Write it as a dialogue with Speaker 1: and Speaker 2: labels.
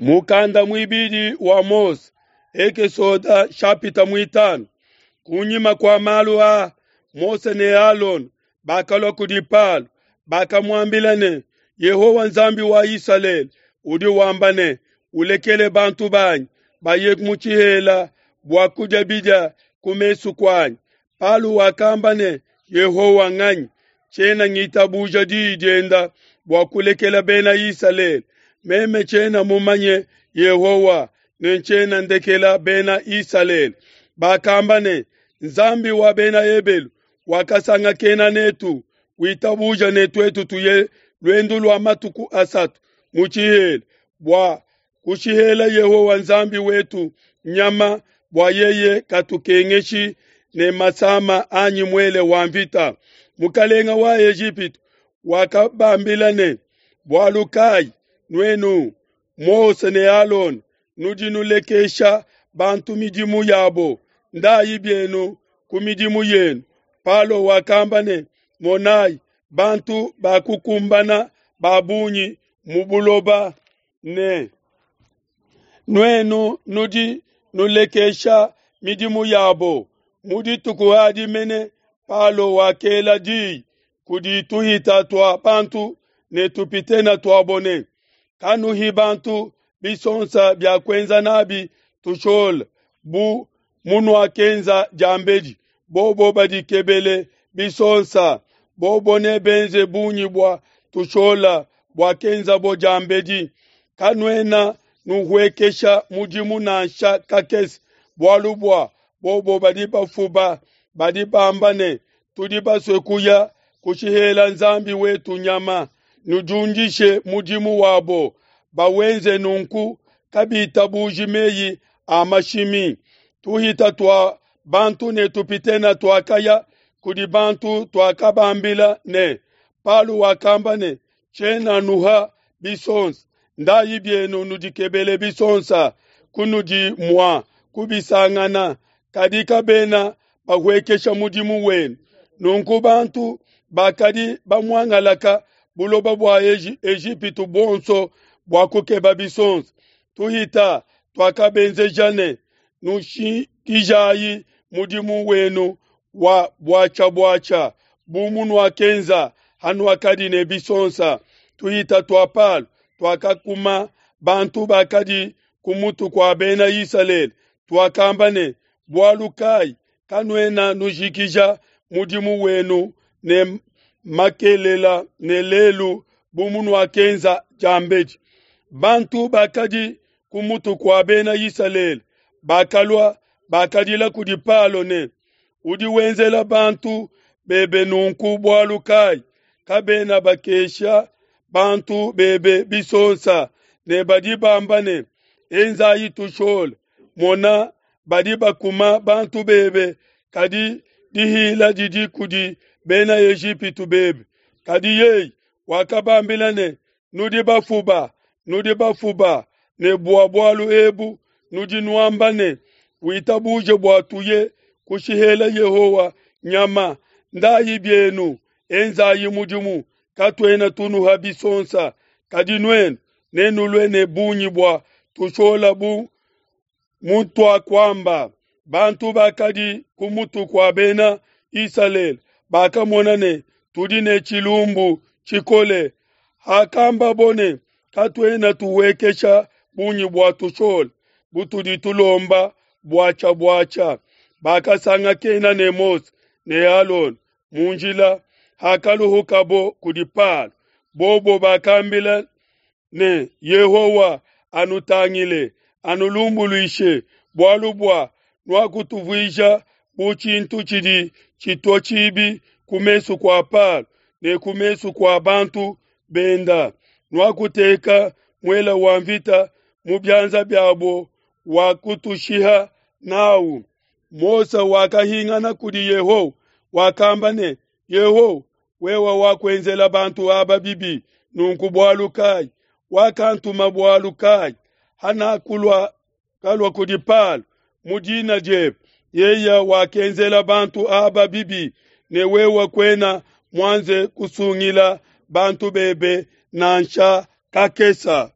Speaker 1: Mukanda muibidi wa Mose, Ekesoda shapita muitanu. Kunyima kua malu aa, Mose ne Alona bakalua kudi Palo, bakamuambila ne, Yehowa Nzambi wa Isalele udi wamba ne, ulekele bantu banyi baye mu tshihela bua kudia bidia ku mesu kuanyi. Palo wakamba ne, Yehowa nganyi? Tshiena ngitabuja diyi dienda bua kulekela bena Isalele. Meme tshiena mumanye Yehowa ne ntshiena ndekela bena Isalele. Bakamba ne, Nzambi wa bena Ebelu wakasangakena netu, witabuja ne tuetu tuye luendu lua matuku asatu mu tshihela bua kushihela Yehowa Nzambi wetu nyama bua yeye katukengeshi ne masama anyi muele wa mvita. Mukalenga wa Ejipitu wakabambila ne, bualu kayi nuenu Mose ne Alona nudi nulekesha bantu midimu yabo, ndayi bienu ku midimu yenu. Palo wakamba ne, monayi, bantu bakukumbana ba bungi mu buloba ne nuenu nudi nulekesha midimu yabo. Mu dituku adi mene Palo wakela diyi kudi tuhita tua bantu ne tupitena tuabo ne, kanuhi bantu bisonsa bia kuenza nabi tushola bu munuakenza diambedi. Bobo badikebele bisonsa, bobo ne benze bungi bua tushola buakenzabo diambedi. Kanuena nuhuekesha mudimu nansha kakese, bualu bua bobo badi bafuba, badi bamba ne, tudi basue kuya kushihela Nzambi wetu nyama. Nudiundishe mudimu wabo, bawenze nunku kabitabuji meyi a mashimi. Tuhita tua bantu ne tupitena tuakaya kudi bantu tuakabambila ne, Palo wakamba ne, tshiena nuha bisonsa, ndayi bienu nudikebele bisonsa kunudi mua kubisangana, kadi kabena bahuekesha mudimu wenu. Nunku bantu bakadi bamuangalaka buloba bua Ejipitu buonso bua kukeba bisonsa. Tuhita tuakabenzeja ne, nushikijayi mudimu wenu wa buatshia-buatshia bu munuakenza hanuakadi ne bisonsa. Tuhita tua Palo tuakakuma bantu bakadi ku mutu kua bena Isalele, tuakamba ne, bualu kayi kanuena nujikija mudimu wenu ne makelela ne lelu bu munuakenza diambedi? Bantu bakadi ku mutu kua bena Isalele bakalua bakadila kudi Palo ne, udi wenzela bantu bebe nunku bualu kayi? Kabena bakesha bantu bebe bisonsa ne badi bamba ne, enzayi tushole. Mona, badi bakuma bantu bebe, kadi dihila didi kudi bena Ejipitu bebe. Kadi yeye wakabambila ne, nudi bafuba, nudi bafuba, ne bua bualu ebu nudi nuamba ne, witabuje bua tuye kushihela Yehowa nyama. Ndayi bienu, enzayi mudimu, katuena tunuha bisonsa, kadi nuenu nenulue ne bungi bua tushola bu mutuakuamba. Bantu bakadi ku mutu kua bena Isalele bakamona ne, tudi ne tshilumbu tshikole. Hakambabo ne, katuena tuhuekesha bungi bua tushola butudi tulomba buatshia-buatshia, bakasangakena ne Mose ne Alona mu njila hakaluhukabo kudi Palo. Bobo bakambila ne, Yehowa anutangile, anulumbuluishe, bualu bua nuakutuvuija bu tshintu tshidi tshitua tshibi ku mesu kua Palo ne ku mesu kua bantu benda. Nuakuteka muela wa mvita mu bianza biabo wa kutushiha nawu. Mose wakahingana kudi Yehowa, wakamba ne, Yehowa, wewe wakuenzela bantu aba bibi nunku bualu kayi? Wakantuma bualu kayi? Hanakulua kalua kudi Palo mu dina diebe, yeye wakenzela bantu aba bibi, ne wewe kuena muanze kusungila bantu bebe nansha kakesa.